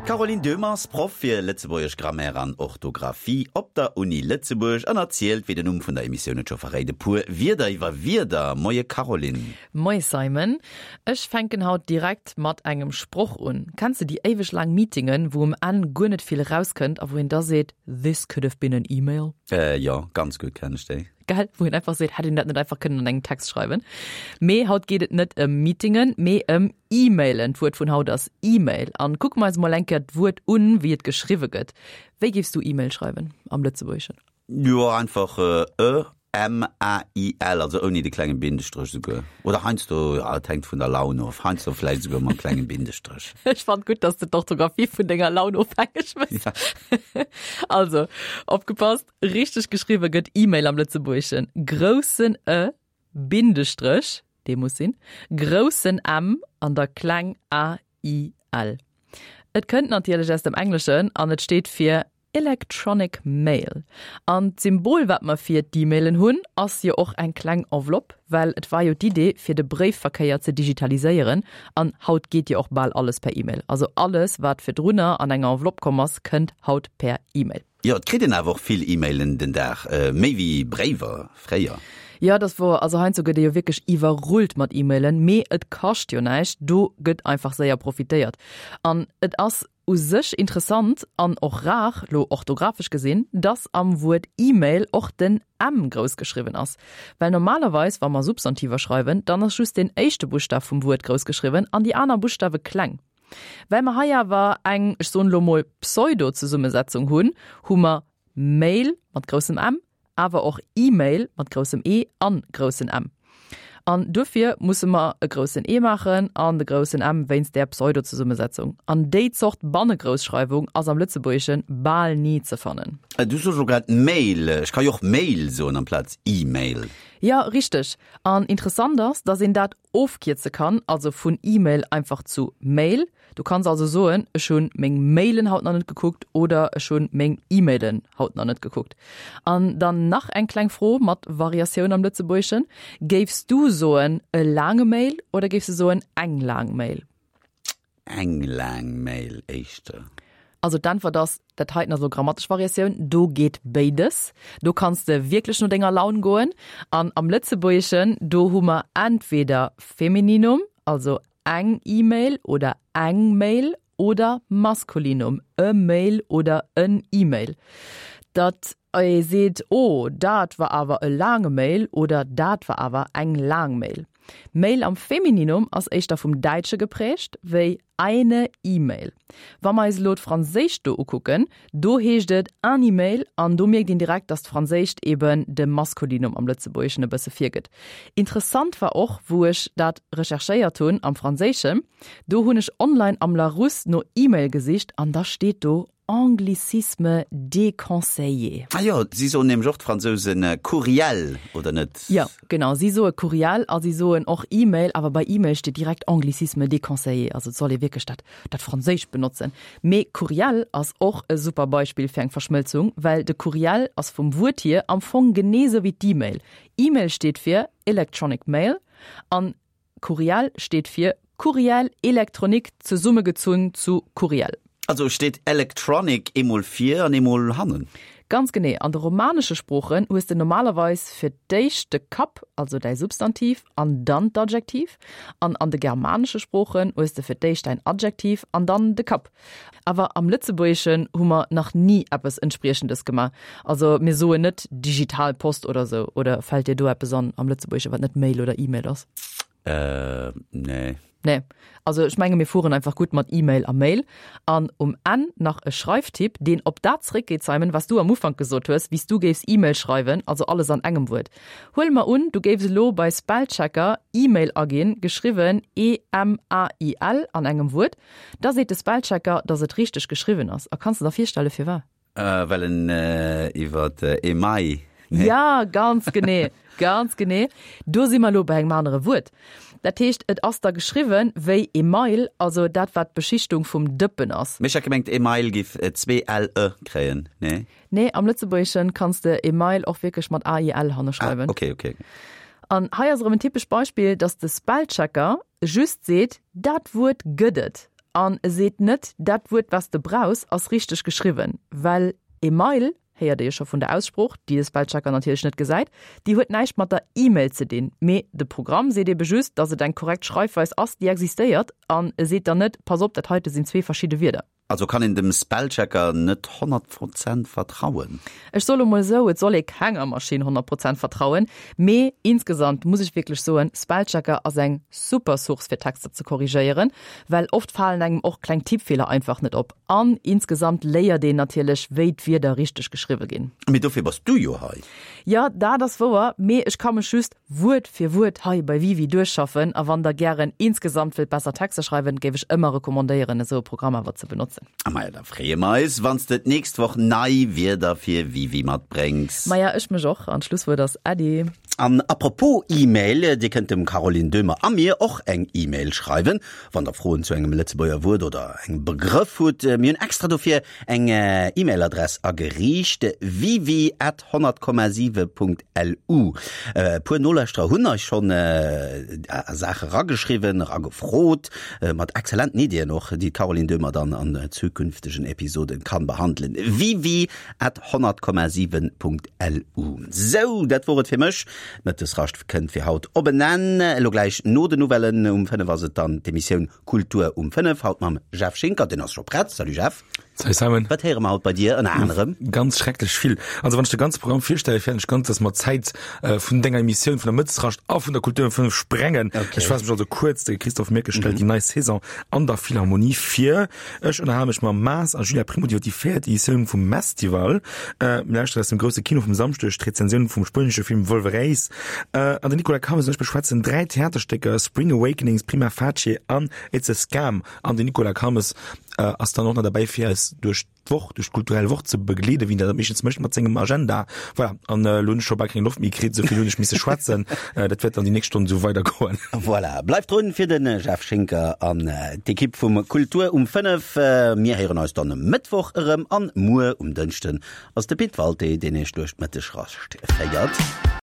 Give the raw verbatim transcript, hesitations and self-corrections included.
D'Caroline Döhmer ass Proff fir Lëtzebuergesch Grammaire an Orthografie op der Uni Lëtzebuerg an erzielt, wéi den Numm vun der Emissioun et scho verréit, e puer Wierder iwwer Wierder. Moie Caroline. Moie Simon. Ech fänken haut direkt mat engem Sproch un. Kenns de déi éiweg laang Meetingen, wou um Enn guer net vill erauskënnt a wou een da seet, This could have been an email? Äh, jo, ganz gutt kennen ech déi. Gell, wou een einfach seet, hätt een dat net einfach kënnen an engem Text schreiwen. Mee haut geet et net ëm Meetingen, mee ëm E-Mailen. D'Wuert vun haut ass E-Mail. An kucke mer eis mol eng Kéier d'Wuert un, wéi et geschriwwe gëtt. Wéi géifs du E-Mail schreiwen am Lëtzebuergeschen? Jo, einfach E M A I L, also ouni de klenge Bindestréch souguer. Oder heiansdo, ja, et hänkt vun der Laun of, heiansdo vläicht souguer mam klengen Bindestréch. Ech fannt gutt, dass de d'Orthografie vun denger Laun ofhängeg méchs. Ja. Also, opgepasst, richteg geschriwwe gëtt E-Mail am Lëtzebuergeschen, groussen E, Bindestréch, dee muss sinn, groussen M an da kleng a i l. Et kënnt natierlech aus dem Engleschen an et steet fir Electronic Mail. An d'Symbol, wat mer fir d'E-Mailen hunn, ass jo och eng kleng Enveloppe, well et war jo d'Idee, fir de Bréifverkéier ze digitaliséieren. An haut geet jo och bal alles per E-Mail. Also alles, wat virdrunner an enger Enveloppe komm ass, kënnt haut per E-Mail. Jo, et kritt een awer och vill E-Mailen den Dag, méi wéi Bréiwer fréier. Jo, dat ass wouer. Also heiansdo gëtt ee jo wierklech iwwerrullt mat E-Mailen, mee et kascht jo näischt, do gëtt einfach séier profitéiert. An et ass u sech interessant an och rar, lo orthografesch gesinn, dass am Wuert E-Mail och den M grouss geschriwwen ass. Well normalerweis, wa mer Substantiver schreiwen, dann ass just den éischte Buschtaf vum Wuert grouss geschriwwen an déi aner Buschtawe kleng. Well mer hei awer eng, ech soen elo mol, Pseudo-Zesummesetzung hunn, hu mer Mail mat groussem M, awer och E-Mail mat groussem E an groussen M. An duerfir musse mer e groussen E maachen an de groussen M wéinst där Pseudo-Zesummesetzung. An déi Zort Bannegroussschreiwung ass am Lëtzebuergesche bal ni ze fannen. Du soos elo grad Mail, ech ka jo och Mail soen amplaz E-Mail. Jo, richteg. An interessant ass, dass een dat ofkierze kann, also vun E-Mail einfach zu Mail. Du kanns also soen, ech hunn meng Mailen haut nach net gekuckt oder ech hunn meng E-Mailen haut nach net gekuckt. An dann nach eng kleng Fro mat Variatioun am Lëtzebuergeschen, Géifs du soen e laange Mail oder géifs du soen eng laang Mail? Eng laang Mail éischter. Also d'Äntwert ass, dat heiten ass elo grammatesch Variatioun, do geet béides. Do kanns de wierklech no denger Laun goen. An am Lëtzebuergeschen, do hu mer entweder Femininum, also eng E-Mail oder eng Mail, oder Maskulinum, e Mail oder en E-Mail. Datt ee seet, oh, dat war awer e laange Mail oder dat war awer eng laang Mail. Mail am Femininum ass éischter vum Däitsche geprägt wéi eine E-Mail. Wa mer eis elo d'Franséischt do ukucken, do heescht et un e-mail an do mierkt een direkt, dass d'Franséischt eben de Maskulinum am Lëtzebuergeschen e bësse virgëtt. Interessant war och, wou ech dat recherchéiert hunn am Franséischen, do hunn ech online am Larousse no E-Mail gesicht an da steet do Anglicisme déconseillé. Ah jo, si soen nämlech och, d'Fransousen, Courriel, oder net? Jo, genau, si soe Courriel a si soen och E-Mail, awer bei E-Mail steet direkt Anglicisme déconseillé, also et soll ee wierklech dat, dat Franséischt benotzen. Mee Courriel ass och e super Beispill fir eng Verschmëlzung, well de Courriel ass vum Wuert hier am Fong genee sou wéi d'E-Mail. E-Mail steet fir Electronic Mail an Courriel steet fir Courriel électronique zesummegezunn zu Courriel. Also steet electronic eemol vir an eemol hannen? Ganz genee. An de romanesche Sproochen hues de normalerweis fir d'éischt de Kapp, also däi Substantiv, an dann d'Adjektiv. An an de germanesche Sproochen hues de fir d'éischt däin Adjektiv an dann de Kapp. Awer am Lëtzebuergeschen hu mer nach ni eppes Entspriechendes gemaach. Also mir soen net digital Post oder sou. Oder fält dir do eppes an am Lëtzebuergesche wat net Mail oder E-Mail ass? Äh, nee. Nee. Also ech menge mir fueren einfach gutt mat E-Mail a Mail. An um Enn nach e Schreiftipp, deen op dat zréckgeet, Simon, wat s du am Ufank gesot hues, wéi s du géifs E-Mail schreiwen, also alles an engem Wuert. Huele mer un, du géifs elo bei Spellchecker E-Mail aginn, geschriwwen E M A I L an engem Wuert, da seet de Spellchecker, dass et richteg geschriwwen ass. A kanns de der virstelle firwat? Well en iwwer Email, nee? Ja, ganz genee, ganz genee. Do si mer elo bei engem anere Wuert. Dat heescht, et ass da geschriwwen wéi Email, also dat wat d'Beschichtung vum Dëppen ass. Mee ech hat gemengt Email giff zwee L e kréien, nee? Nee, am Lëtzebuergeschen kanns de Email och wierklech mat A I L hanne schreiwen. Ah, okay, okay. An hei ass erëm en typescht Beispill, dass de Spellchecker just seet, dat Wuert gëtt et. An e seet net, dat Wuert, wat s de brauchs, ass richteg geschriwwen. Well Email, héiert ee jo scho vun der Aussprooch, déi de Spellchecker natierlech net gesäit, déi huet näischt mat der E-Mail ze dinn. Mee de Programm seet ebe just, dass et eng korrekt Schreifweis ass, déi existéiert, an e seet dann net, Pass op, dat heite sinn zwee verschidde Wierder. Also kann een dem Spellchecker net honnert Prozent vertrauen? Ech soe lo mol esou, et soll ee kenger Maschinn honnert Prozent vertrauen, mee insgesamt muss ech wierklech soen, Spellchecker ass eng super Source fir Texter ze korrigéieren, well oft falen engem och kleng Tippfeeler einfach net op an insgesamt léiert een natierlech wéi d'Wierder richteg geschriwwe ginn. Mee dofir bass du jo hei. Jo, dat ass wouer, mee ech ka mech just Wuert fir Wuert hei bei Wiwi duerchschaffen a wann der gären insgesamt wëllt besser Texter schreiwen, géif ech ëmmer recommandéieren esou e Programm awer ze benotzen. A maja, da freeë mer eis, wann s de d'nächst Woch nei Wierder fir Wiwi matbréngs. Maja, ech mech och, an d'Schlusswuert ass Äddi. An apropos E-Mail, Dir kënnt dem Caroline Döhmer a mir och eng E-Mail schreiwen, wann der Froen zu engem Lëtzebuerger Wuert oder engem Begrëff hutt. Mir hunn extra dofir eng E-Mail-Adress ageriicht, wiwi at honnert Komma siwe Punkt lu. E puer Nolauschterer hunn eis schonn Saache rageschriwwen, eragefrot, mat exzellenten Iddien och, déi d'Caroline Döhmer dann an zukünftegen Episoden kann behandelen. Wiwi at honnert Komma siwen Punkt lu. Sou, dat wor et fir mech. D'Mëttesrascht kënnt fir haut op en Enn. Elo gläich no den Nouvellen um fënnef ass et dann d'Emissioun Kultur um fënnef, haut mam Jeff Schinker. Deen ass scho prett. Salut Jeff. Salut Simon. Wat héiere mer haut bei dir ënner anerem? Ganz schrecklech vill. Also wann ech de ganze Programm virstellen, fäerten ech ganz, dass mer d'Zäit vun denger Emissioun vun der Mëttesrascht a vun der Kultur um fënnef sprengen. Okay. Ech faasse mech also kuerz, De Christophe Mirkes stellt déi nei Saison an der Philharmonie vir. Ech ënnerhale mech mam Maas a Julia Primo iwwer déi véiert Editioun vum Mestival. Mir lauschteren aus dem grousse Kino vum Samschdeg d'Rezensioun vum spuenesche Film Volveréis. An den Nicolas Calmes an ech beschwätzen dräi Theaterstécker, Spring Awakenings, Prima Facie an It's a Scam. An den Nicolas Calmes ass dann och nach derbäi fir eis duerch d'Woch, duerch d'kulturell Woch ze begleeden, wéi en dat meeschtens mécht mat sengem Agenda. Voilà, an elo hunn ech scho bal keng Loft méi kritt, esou vill hunn ech misse schwätzen. Dat wäert dann déi nächst Stonn esou weidergoen. Voilà, bleift drun fir de Jeff Schinker an d'Ekipp vum Kultur um fënnef. Mir héieren eis dann e Mëttwoch erëm an muer um Dënschden ass de Pit Walté, deen iech duerch d'Mëttegrascht féiert.